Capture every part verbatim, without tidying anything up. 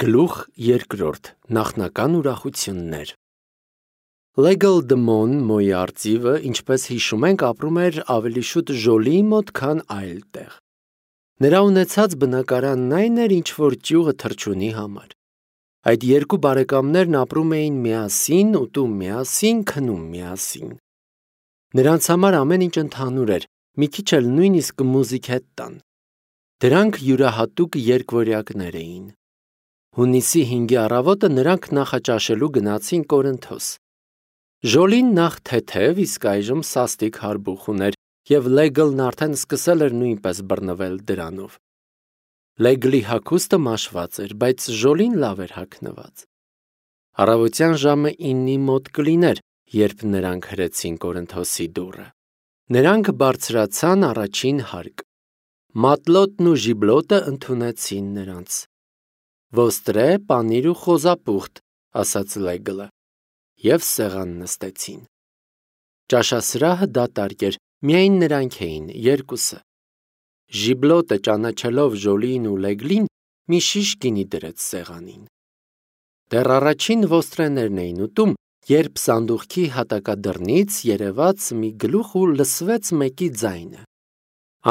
Գլուխ երկրորդ. Նախնական ուրախություններ։ Լեգլ Դմոն Մոյի արծիվը, ինչպես հիշում ենք, ապրում էր ավելի շուտ Ժոլիի մոտ, քան այլ տեղ։ Նրա ունեցած բնակարանն այն էր, ինչ որ ճյուղը թռչունի համար։ Այդ երկու բարեկամներն ապրում էին միասին, ուտում միասին, քնում միասին։ Նրանց համար ամեն ինչ ընդհանուր էր, մի քիչ էլ նույնիսկ մուզիկ հետ տան։ Դրանք յուրահատուկ երկվորյակներ էին։ Հունիսի հինգի առավոտը նրանք նախաճաշելու գնացին Կորինթոս։ Ժոլին նախ թեթև, իսկ այժմ սաստիկ հարբուխ ուներ, և Լեգլն արդեն սկսել էր նույնպես բռնվել դրանով։ Լեգլի հագուստը մաշված էր, բայց Ժոլին լավ էր հագնված։ Առավոտյան ժամը իննի մոտ կլիներ, երբ նրանք հրեցին Կորինթոսի դուռը։ Նրանք բարձրացան առաջին հարկ։ Մատլոտն ու Ժիբլոտը ընդունեցին նրանց։ Ոստրե, պանիր ու խոզապուխտ, ասաց Լեգլը, և սեղան նստեցին։ Ճաշասրահը դատարկ էր, միայն նրանք էին, երկուսը։ Ժիբլոտը, ճանաչելով Ժոլիին ու Լեգլին, մի շիշ գինի դրեց սեղանին։ Դեռ առաջին ոստրեներն էին ուտում, երբ սանդուղքի հատակադռնից երևաց մի գլուխ ու լսվեց մեկի ձայնը.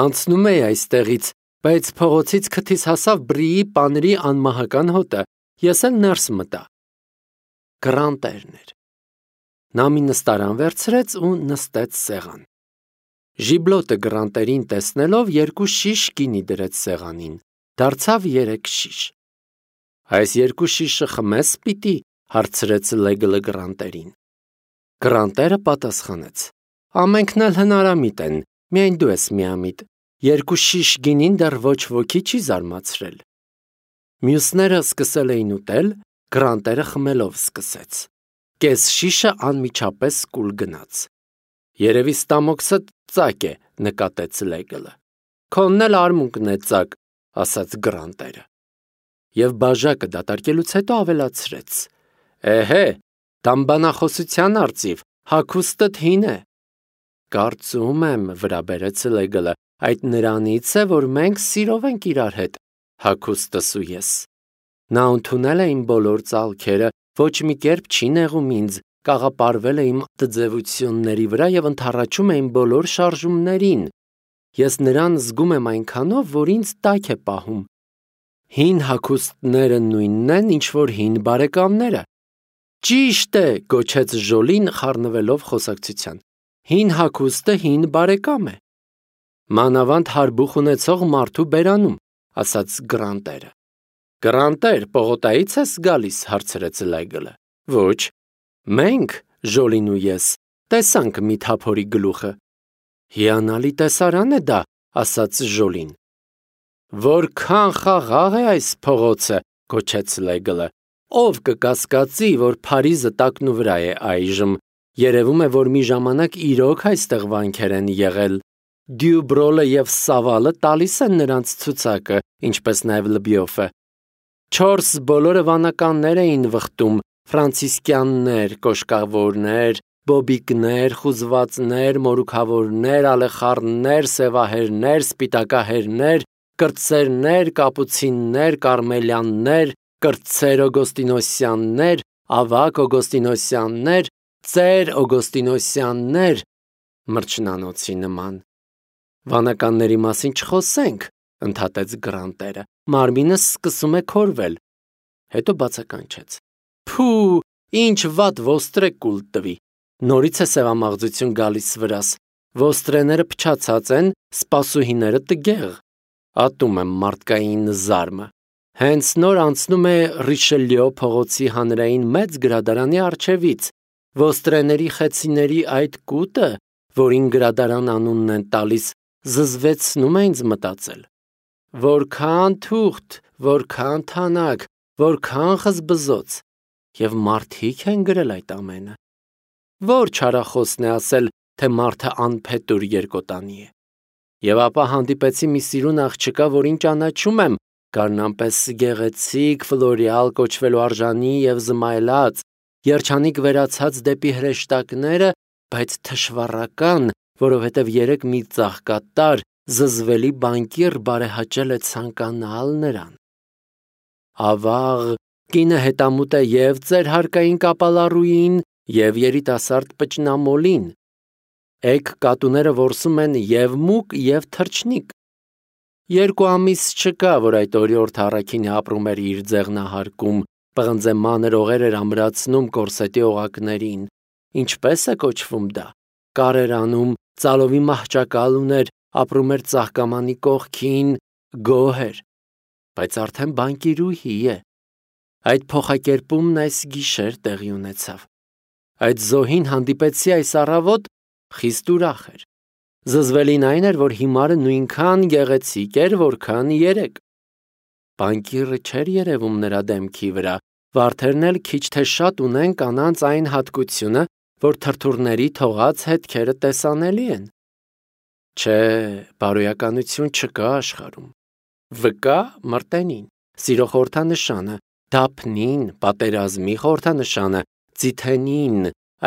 «Անցնում էի այստեղից, բայց փողոցից քթիս հասավ բրիի պանրի անմահական հոտը, ես էլ ներս մտա»։ Գրանտերն էր։ Նա մի նստարան վերցրեց ու նստեց սեղան։ Ժիբլոտը գրանտերին տեսնելով երկու շիշ գինի դրեց սեղանին, դարձավ երեք շիշ։ «Այս երկու շիշը խմես պիտի», հարցրեց Լեգլը գրանտերին։ Գրանտերը պատասխանեց. «Ամենքն էլ հնարամիտ են, միայն դու ես միամիտ, երկու շիշ գինին դեռ ոչ ոքի չի զարմացրել»։ Մյուսները սկսել էին ուտել, գրանտերը խմելով սկսեց։ Կես շիշը անմիջապես կուլ գնաց։ «Երևի ստամոքսդ ծակ է», նկատեց Լեգլը։ «Քոնն էլ արմունկն է ծակ», ասաց գրանտերը։ Եվ բաժակը դատարկելուց հետո ավելացրեց. «Էհե, դամբանախոսության արծիվ, հագուստդ հին է»։ «Կարծում եմ, վրա բերեց Լեգլը, այդ նրանից է, որ մենք սիրով ենք իրար հետ, հագուստս ու ես։ Նա ընդունել է իմ բոլոր ծալքերը, ոչ մի կերպ չի նեղում ինձ, կաղապարվել է իմ տձևությունների վրա և ընդառաջում է իմ բոլոր շարժումներին։ Ես նրան զգում եմ այնքանով, որ ինձ տաք է պահում։ Հին հագուստները նույնն են, ինչ որ հին բարեկամները»։ «Ճիշտ է», գոչեց Ժոլին, խառնվելով խոսակցության։ «Հին հագուստը հին բարեկամ է»։ «Մանավանդ հարբուխ ունեցող մարդու բերանում», ասաց գրանտերը։ «Գրանտեր, պողոտայից ես գալիս», հարցրեց Լեգլը։ «Ոչ, մենք, Ժոլին ու ես, տեսանք մի թափորի գլուխը»։ «Հիանալի տեսարան է դա», ասաց Ժոլին։ «Որքան խաղաղ է այս փողոցը», գոչեց Լեգլը։ «Ով կկասկածի, որ Փարիզը տակնու վրա է այժմ, երևում է, որ մի ժամանակ իրոք այստեղ վանքեր են եղել։ Դյուբրոլը և Սավալը տալիս են նրանց ցուցակը, ինչպես նաև Լբիոֆը։ Չորս բոլորը վանականներ էին վխտում, ֆրանցիսկյաններ, կոշկավորներ, բոբիկներ, խուզվածներ, մորուքավորներ, ալեխառներ, սևահերներ, սպիտակահերներ, կրտսերներ, կապուցիններ, կարմելյաններ, կրտսեր օգոստինոսյաններ, ավագ օգոստինոսյաններ, ծեր օգոստինոսյաններ, մրջնանոցի նման։ Վանականների մասին չխոսենք, ընդհատեց գրանտերը, մարմինս սկսում է քորվել։ Հետո բացականչեց. «Փու, ինչ վատ ոստրե կուլ տվի, նորից է սևամաղձություն գալիս վրաս, ոստրեները փչացած են, սպասուհիները տգեղ։ Ատում եմ մարդկային զարմը։ Հենց նոր անցնում է Ռիշելյո փողոցի հանրային մեծ գրադարանի առջևից, ոստրեների խեցիների այդ կուտը, որին գրադարան անունն են տալիս, զզվեցնում է ինձ մտածել։ Որքան թուղթ, որքան թանաք, որքան խզբզոց, և մարդիկ են գրել այդ ամենը։ Ո՞ր չարախոսն է ասել, թե մարդը անփետուր երկոտանի է։ Եվ ապա հանդիպեցի մի սիրուն աղջկա, որին ճանաչում եմ, գարնանպես գեղեցիկ, ֆլորիալ կոչվելու արժանի և զմայլած, երջանիկ վերացած դեպի հրեշտակները, բայց թշվառական, որովհետև երեկ մի ծաղկատար, զզվելի բանկիր բարեհաճել է ցանկանալ նրան։ Ավաղ, Կինը հետամուտ է և ձեր հարկային կապալառուին, և երիտասարդ պճնամոլին։ Էգ կատուները որսում են և մուկ, և թռչնիկ։ Երկու ամիս չկա, որ այդ օրիորդ առաքինը ապրում էր իր ձեղնահարկում, պղնձե մանր օղեր էր ամրացնում կորսետի օղակներին։ Ինչպե՞ս է կոչվում դա։ Կար էր անում, ծալովի մահճակալ ուներ, ապրում էր ծաղկամանի կողքին, գոհ էր, բայց արդեն բանկիրուհի է։ Այդ փոխակերպումն այս գիշեր տեղի ունեցավ։ Այդ զոհին հանդիպեցի այս առավոտ, խիստ ուրախ էր։ Զզվելին այն էր, որ հիմարը նույնքան գեղեցիկ էր, որքան երեկ։ Բանկիրը չէր երևում նրա դեմքի վրա, վարդերն էլ քիչ թե շատ ունեն կանանց այն հատկությունը, որ թրթուրների թողած հետքերը տեսանելի են։ Չէ, բարոյականություն չկա աշխարհում։ Վկա մրտենին, սիրո խորհրդանշանը, դափնին, պատերազմի խորհրդանշանը, ձիթենին,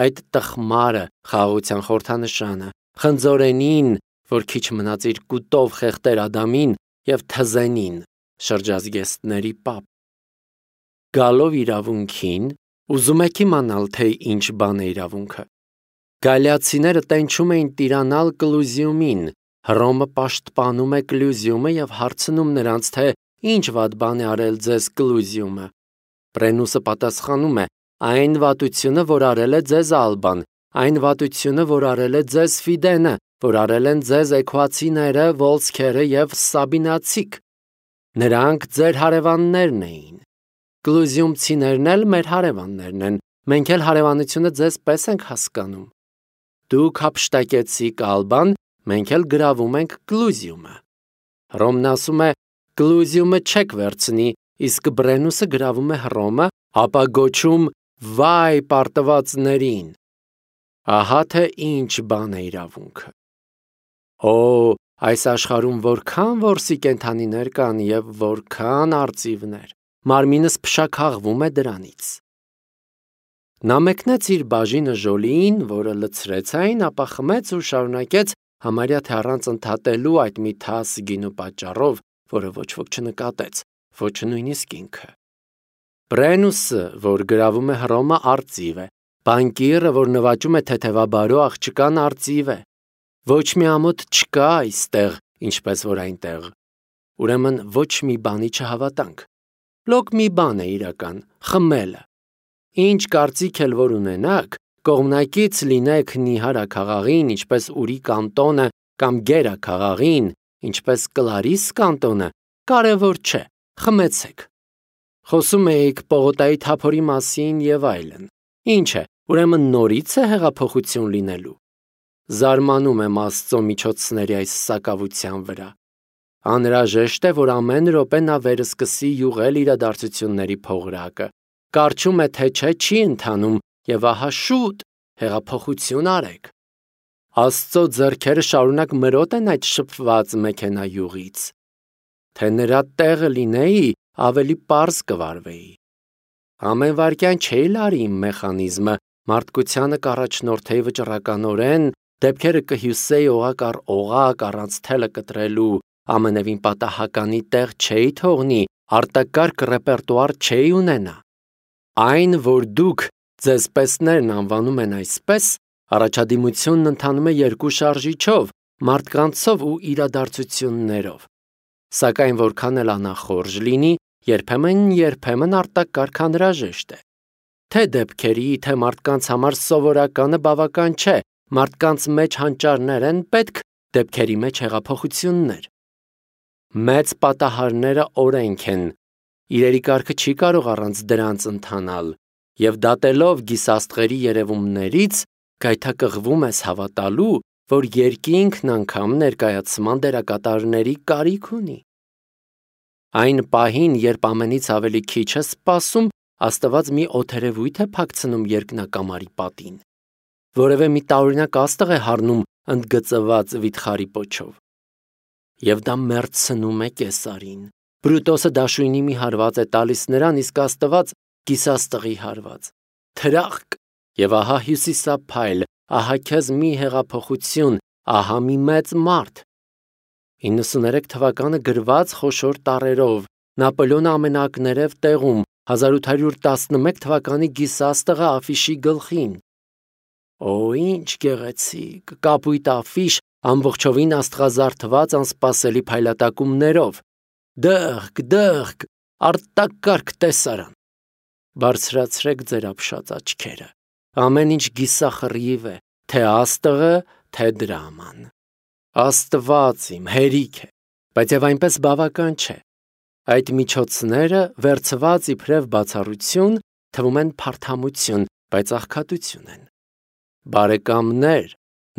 այդ տխմարը, խաղաղության խորհրդանշանը, խնձորենին, որ քիչ մնաց իր կուտով խեղդեր Ադամին, և թզենին, շրջազգեստների պապ։ Գալով իրավունքին, ուզում եք իմանալ, թե ինչ բան է իրավունքը։ Գալիացիները տենչում էին տիրանալ Կլուզիումին, Հռոմը պաշտպանում է Կլուզիումը և հարցնում նրանց, թե ինչ վատ բան է արել ձեզ Կլուզիումը։ Բրենուսը պատասխանում է. այն վատությունը, որ արել է ձեզ Ալբան, այն վատությունը, որ արել է ձեզ Ֆիդենը, որ արել են ձեզ էքուացիները, վոլսքերը և սաբինացիք։ Նրանք ձեր հարևաններն էին։ Կլուզիումցիներն էլ մեր հարևաններն են, մենք էլ հարևանությունը ձեզ պես ենք հասկանում։ Դուք հափշտակեցիք Ալբան, մենք էլ գրավում ենք Կլուզիումը։ Հռոմն ասում է. Կլուզիումը չեք վերցնի, իսկ Բրենուսը գրավում է Հռոմը, ապա գոչում վայ պարտվածներին։ Ահա թե ինչ բան է իրավունքը։ Օ, այս աշխարհում որքան որսի կենդանիներ կան և որքան արծիվներ, մարմինս փշաքաղվում է դրանից։ Նա մեկնեց իր բաժինը Ժոլիին, որը լցրեց այն, ապա խմեց ու շարունակեց համարյա թե առանց ընդհատելու այդ մի թաս գինու պատճառով, որը ոչ ոք չնկատեց, ոչ նույնիսկ ինքը։ Բրենուսը, որ գրավում է Հռոմը, արծիվ է, բանկիրը, որ նվաճում է թեթևաբարո աղջկան, արծիվ է։ Ոչ մի ամոթ չկա այստեղ, ինչպես որ այնտեղ։ Ուրեմն ոչ մի բանի չհավատանք։ Լոկ մի բան է իրական՝ խմելը։ Ինչ կարծիք էլ որ ունենաք, կողմնակից լինեք Նիհարա քաղաղին, ինչպես Ուրի կանտոնը, կամ Գերա քաղաղին, ինչպես Կլարիս կանտոնը, կարևոր չէ, խմեցեք։ Խոսում էիք Պողոտայի թափորի մասին և այլն։ Ինչ է, ուրեմն նորից է հեղափոխություն լինելու։ Զարմանում եմ Աստծո միջոցների այս սակավության վրա։ Անհրաժեշտ է, որ ամեն րոպե նա վերսկսի յուղել իրադարձությունների փողրակը։ Կարճում է, թե չէ չի ընթանում, և ահա շուտ հեղափոխություն արեք։ Աստծո ձեռքերը շարունակ մրոտ են այդ շփված մեքենայուղից։ Թե նրա տեղը լինեի, ավելի պարզ կվարվեի։ Ամեն վայրկյան չէի լարի իմ մեխանիզմը, մարդկությանը կառաջնորդեի վճռականորեն, դեպքերը կհյուսեի օղակ առ օղակ, առանց թելը կտրելու, ամենևին պատահականի տեղ չէի թողնի, արտակարգ ռեպերտուար չէի ունենա։ Այն, որ դուք ձեզ պեսներն անվանում են այսպես, առաջադիմությունն ընթանում է երկու շարժիչով, մարդկանցով ու իրադարձություններով։ Սակայն որքան էլ անախորժ լինի, երբեմն-երբեմն արտակարգ անհրաժեշտ է։ Թե դեպքերի, թե մարդկանց համար սովորականը բավական չէ, մարդկանց մեջ հանճարներ են պետք, դեպքերի մեջ հեղափոխություններ։ Մեծ պատահարները օրենք են, իրերի կարգը չի կարող առանց դրանց ընթանալ, և դատելով գիսաստղերի երևումներից, գայթակղվում ես հավատալու, որ երկինքն անգամ ներկայացման դերակատարների կարիք ունի։ Այն պահին, երբ ամենից ավելի քիչ ես սպասում, Աստված մի օդերևույթ է փակցնում երկնակամարի պատին։ Որևէ մի տարօրինակ աստղ է հառնում ընդգծված վիթխարի պոչով։ Եվ դա մեռցնում է Կեսարին։ Բրուտոսը դաշույնի մի հարված է տալիս նրան, իսկ Աստված գիսաստղի հարված։ Թրախկ, և ահա հյուսիսափայլ, ահա քեզ մի հեղափոխություն, ահա մի մեծ մարդ։ իննսուներեք թվականը գրված խոշոր տառերով, Նապոլեոնը ամենակներև տեղում հազար ութ հարյուր տասնմեկ թվականի գիսաստղը աֆիշի գլխին։ Օ, ինչ գեղեցիկ, կապույտ աֆիշ, ամբողջովին աստղազարդված անսպասելի փայլատակումներով։ Դղք, դղք, արտակարգ տեսարան։ Բարձրացրեք ձեր ապշած աչքերը։ Ամեն ինչ գիսախռիվ է, թե աստղը, թե դրաման։ Աստված իմ, հերիք է, բայց եւ այնպես բավական չէ։ Այդ միջոցները վերցված իբրև բացառություն թվում են փարթամություն, բայց աղքատություն են։ Բարեկամներ,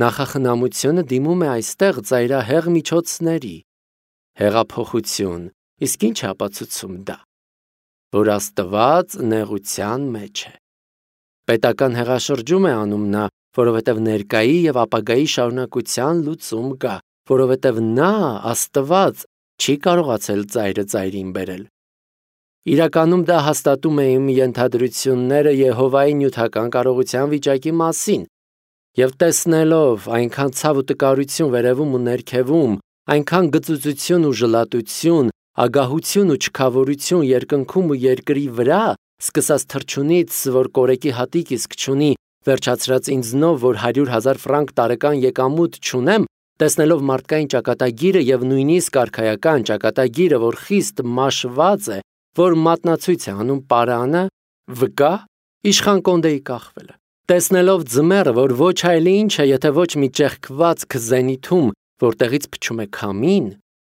նախախնամությունը դիմում է այստեղ ծայրահեղ միջոցների։ Հեղափոխություն, իսկ ինչ ապացուցում դա, որ Աստված նեղության մեջ է։ Պետական հեղաշրջում է անում նա, որովհետև ներկայի եւ ապագայի շարունակության լուծում կա, որովհետև նա, Աստված, չի կարողացել ծայրը ծայրին բերել։ Իրականում դա հաստատում է իմ ենթադրությունները Եհովայի նյութական կարողության վիճակի մասին, եւ տեսնելով այնքան ցավ ու տկարություն վերևում ու ներքևում, այնքան գծուծություն ու ժլատություն, ագահություն ու չքավորություն երկնքում ու երկրի վրա, սկսած թռչունից, որ կորեկի հատիկ իսկ չունի, վերջացրած ինձնով, որ հարյուր հազար ֆրանկ տարեկան եկամուտ չունեմ, տեսնելով մարդկային ճակատագիրը եւ նույնիսկ արքայական ճակատագիրը, որ խիստ մաշված է, որ մատնացույց է անում պարանը, վկա, իշխան Կոնդեի կախվելը։ Տեսնելով ձմեռը, որ ոչ այլ ինչ է, եթե ոչ մի ճեղքված զենիթում, որտեղից փչում է քամին,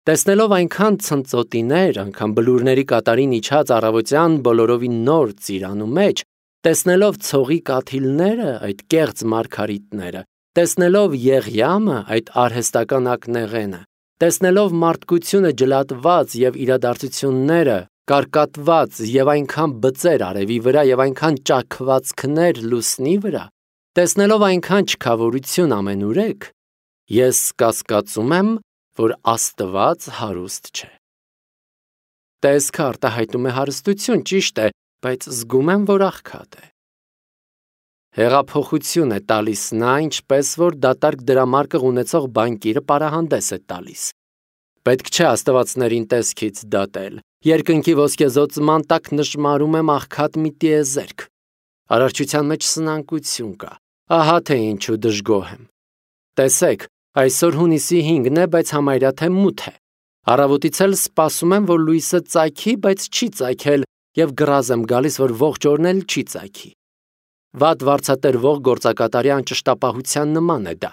տեսնելով այնքան ցնծոտիներ, անգամ բլուրների կատարին իջած առավոտյան բոլորովին նոր ծիրանու մեջ, տեսնելով ցողի կաթիլները, այդ կեղծ մարգարիտները, տեսնելով Եղյամը, այդ արհեստական ակնեղենը, տեսնելով մարդկությունը ջլատված եւ իրադարձությունները կարկատված եւ այնքան բծեր արևի վրա եւ այնքան ճաքվածքներ լուսնի վրա, տեսնելով այնքան չքավորություն ամենուրեք, ես կասկածում եմ, որ Աստված հարուստ չէ։ Տեսքը արտահայտում է հարստություն, ճիշտ է, բայց զգում եմ, որ աղքատ է։ Հեղափոխություն է տալիս նա, ինչպես որ դատարկ դրամարկղ ունեցող բանկիրը պարահանդես է տալիս։ Պետք չէ աստվածներին տեսքից դատել։ Երկնքի ոսկեզօծման տակ նշմարում եմ աղքատ մի տիեզերք։ Արարչության մեջ սնանկություն կա։ Ահա թե ինչու դժգոհ եմ։ Տեսեք, այսօր հունիսի հինգն է, բայց համարյա թե մութ է։ Առավոտից էլ սպասում եմ, որ լույսը ծագի, բայց չի ծագել, եւ գրազ եմ գալիս, որ ողջ օրն էլ չի ծագի։ Վատ վարձատրվող գործակատարի անճշտապահության նման է դա։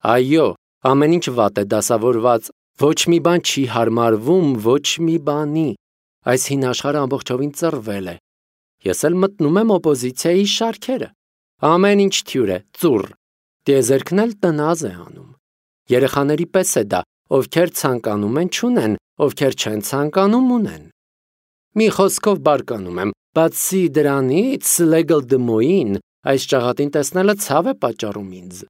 Այո, ամեն ինչ վատ է դասավորված, ոչ մի բան չի հարմարվում, ոչ մի բանի։ Այս հին աշխարհը ամբողջովին ծռվել է։ Ես էլ մտնում եմ օպոզիցիայի շարքերը։ Ամեն ինչ թյուր է, ծուռ։ Տիեզերքն էլ տնազ է անում։ Երեխաների պես է դա, ովքեր ցանկանում են չունեն, ովքեր չեն ցանկանում ունեն։ Մի խոսքով բարկանում եմ, բացի դրանից Լեգլ Դմոին այս ճաղատին տեսնելը ցավ է պատճառում ինձ։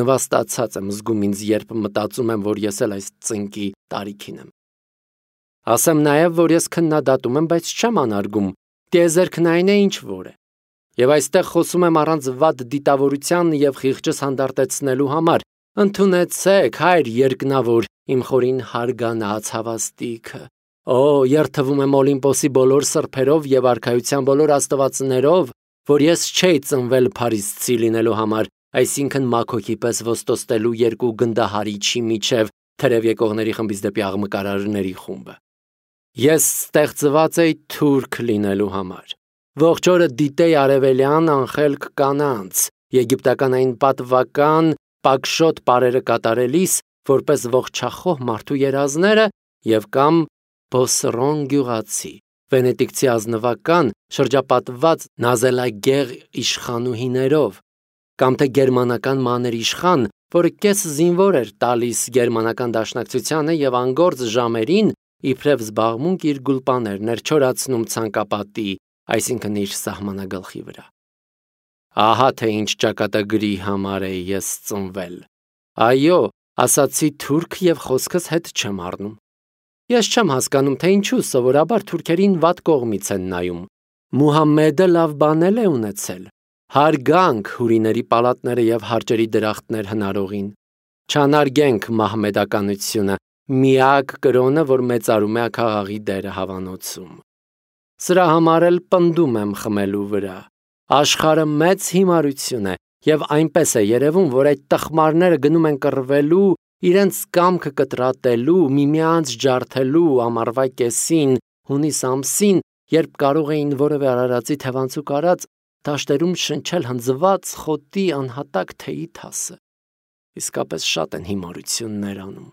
Նվաստացած եմ զգում ինձ, երբ մտածում եմ, որ ես էլ այս ծնկի տարիքին եմ։ Ասեմ նաև, որ ես քննադատում եմ, բայց չեմ անարգում, տիեզերքն այն է, ինչ որ է։ Եվ այստեղ խոսում եմ առանց վատ դիտավորության եւ խիղճս հանդարտեցնելու համար։ Ընդունեցեք, հայր երկնավոր, իմ խորին հարգանած հավաստիքը։ Օ, երթվում եմ Օլիմպոսի բոլոր սրբերով եւ արքայության բոլոր աստվածներով, որ ես չէի ծնվել փարիսցի լինելու համար, այսինքն մաքոքի պես ոստոստելու երկու գնդահարիչի միջև թրև եկողների խմբից դեպի աղմկարարների խումբը։ Ես ստեղծված էի թուրք լինելու համար։ Ողջ օրը դիտեի արևելյան անխելք կանանց, եգիպտական այն պատվական պակշոտ պարերը կատարելիս, որպես ողջախոհ մարդու երազները եւ կամ Բոսրոն գյուղացի, վենետիկցի ազնվական շրջապատված նազելագեղ իշխանուհիներով, կամ թե գերմանական մաներ իշխան, որը կես զինվոր էր տալիս գերմանական դաշնակցությանը եւ անգործ ժամերին իբրև զբաղմունք իր գուլպաներներ չորացնում ցանկապատի, այսինքն իր սահմանագլխի վրա։ Ահա թե ինչ ճակատագրի համար է ես ծնվել։ Այո, ասացի թուրք եւ խոսքս հետ չեմ առնում։ Ես չեմ հասկանում, թե ինչու սովորաբար թուրքերին վատ կողմից են նայում։ Մուհամմեդը լավ բանել է ունեցել։ Հարգանք հուրիների պալատները եւ հարճերի դրախտներ հնարողին։ Չանարգենք մահմեդականությունը, Միակ կրոնը, որ մեծարում է աքաղաղի դերը հավանոցում։ Սրա համար էլ պնդում եմ խմելու վրա։ Աշխարհը մեծ հիմարություն է, եւ այնպես է երևում, որ այդ տխմարները գնում են կռվելու, իրենց կամքը կտրատելու, միմյանց ջարդելու ամառվա կեսին, հունիս ամսին, երբ կարող էին որևէ արարածի թևանցուկ արած դաշտերում շնչել հնձված խոտի անհատակ թեյի թասը։ Իսկապես շատ են հիմարություններ անում։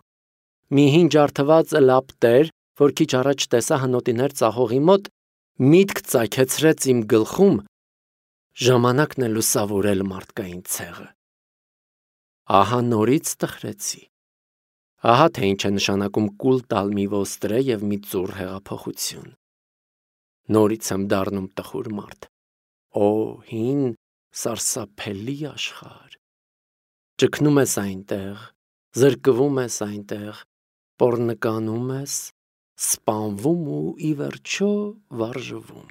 Մի հին ջարդված լապտեր, որ քիչ առաջ տեսա հնոտիներ ծախողի մոտ, միտք ծագեցրեց իմ գլխում, ժամանակն է լուսավորել մարդկային ցեղը։ Ահա նորից տխրեցի։ Ահա թե ինչ է նշանակում կուլ տալ մի ոստրե եւ մի ծուռ հեղափոխություն։ Նորից եմ դառնում տխուր մարդ։ Օ, հին սարսափելի աշխարհ։ Ճգնում ես այնտեղ, զրկվում ես այնտեղ, պոռնկանում ես, սպանվում ու ի վերջո վարժվում։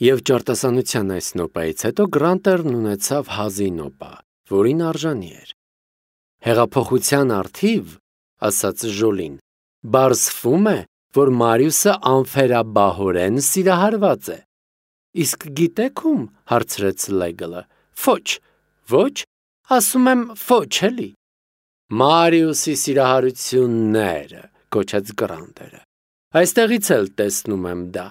Եվ ճարտասանության այս նոպայից հետո Գրանտերն ունեցավ հազի նոպա, որին արժանի էր։ Հեղափոխության առթիվ, ասաց Ժոլին, բարձվում է, որ Մարիուսը անֆերաբահորեն սիրահարված է։ Իսկ գիտեք ում, հարցրեց Լեգլը։ Ոչ, ոչ, ասում եմ ոչ էլի։ Մարիուսի սիրահարությունները, կոչեց Գրանտերը։ Այստեղից էլ տեսնում եմ դա։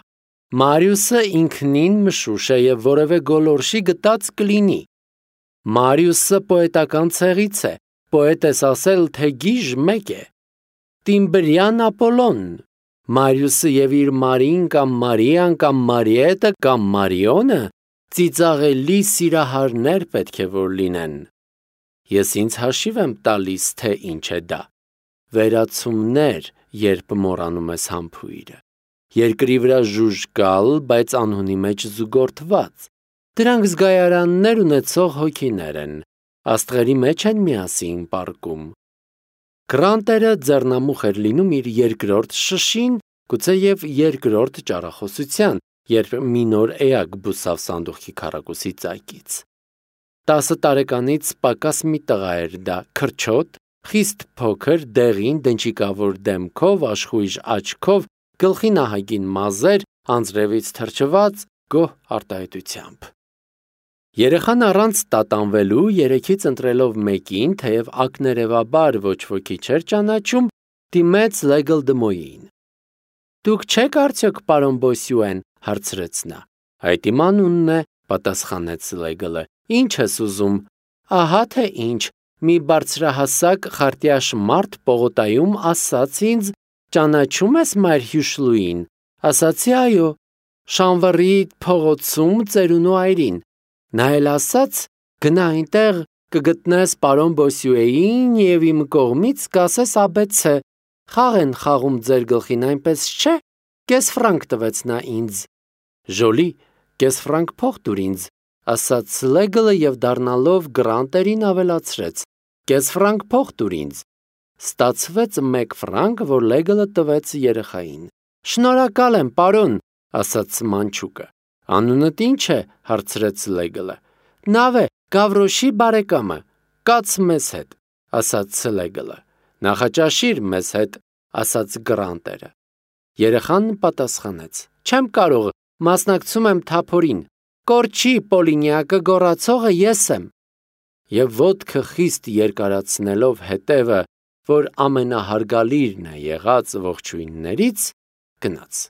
Մարիուսը ինքնին մշուշ է եւ որևէ գոլորշի գտած կլինի։ Մարիուսը պոետական ցեղից է, պոետ ես ասել, թե գիժ մեկ է։ Տիմբրյան Ապոլոն, Մարիուսը եւ իր Մարին կամ Մարիան կամ Մարիետը կամ Մարիոնը ծիծաղելի սիրահարներ պետք է որ լինեն։ Ես ինձ հաշիվ եմ տալիս, թե ինչ է դա։ Վերացումներ, երբ մոռանում ես համբույրը։ Երկրի վրա ժուժկալ, բայց անհունի մեջ զուգորդված։ Դրանք զգայարաններ ունեցող հոգիներ են, աստղերի մեջ են միասին պառկում։ Գրանտերը ձեռնամուխ էր լինում իր երկրորդ շշին, գուցե եւ երկրորդ ճառախոսության, երբ մի նոր էակ բուսավ սանդուղքի քառակուսի ծայկից։ Տասը տարեկանից պակաս մի տղա էր դա, քրչոտ, խիստ փոքր, դեղին, դնչիկավոր դեմքով, աշխույժ աչքով, գլխի նահագին մազեր, անձրևից թրջված, գոհ արտահայտությամբ։ Երեխան առանց տատանվելու, երեքից ընտրելով մեկին, թեև ակներևաբար ոչ ոքի չէր ճանաչում, դիմեց Լեգլ Դմոյին։ Դուք չեք արդյոք պարոն Բոսյուեն, հարցրեց նա։ Այդ իմ անունն է, պատասխանեց Լեգլը։ Ինչ ես ուզում։ Ահա թե ինչ, մի բարձրահասակ խարտյաշ մարդ պողոտայում ասաց ինձ. ճանաչում ես Մայր Հյուշլուին։ Ասացի այո, Շանվռի փողոցում ծերունու այրին։ Նա էլ ասաց. գնա այնտեղ կգտնես պարոն Բոսյուեին եւ իմ կողմից կասես աբեցե։ Խաղ են խաղում ձեր գլխին, այնպես չէ։ Կես ֆրանկ տվեց նա ինձ։ Ժոլի, կես ֆրանկ փող տուր ինձ, ասաց Լեգլը եւ դառնալով Գրանտերին ավելացրեց. կես ֆրանկ փող տուր ինձ։ Ստացվեց մեկ ֆրանկ, որ Լեգլը տվեց երեխային։ Շնորհակալ եմ, պարոն, ասաց մանչուկը։ Անունդ ինչ է, հարցրեց Լեգլը։ Նավե, Գավրոշի բարեկամը, կաց մեզ հետ, ասաց Լեգլը։ Նախաճաշիր մեզ հետ, ասաց Գրանտերը։ Երեխան պատասխանեց. Չեմ կարող, մասնակցում եմ թափորին։ Կորչի Պոլինյակը գոռացողը ես եմ։ Եվ ոտքը խիստ երկարացնելով հետևը, որ ամենահարգալիրն է եղած ողջույններից, գնաց։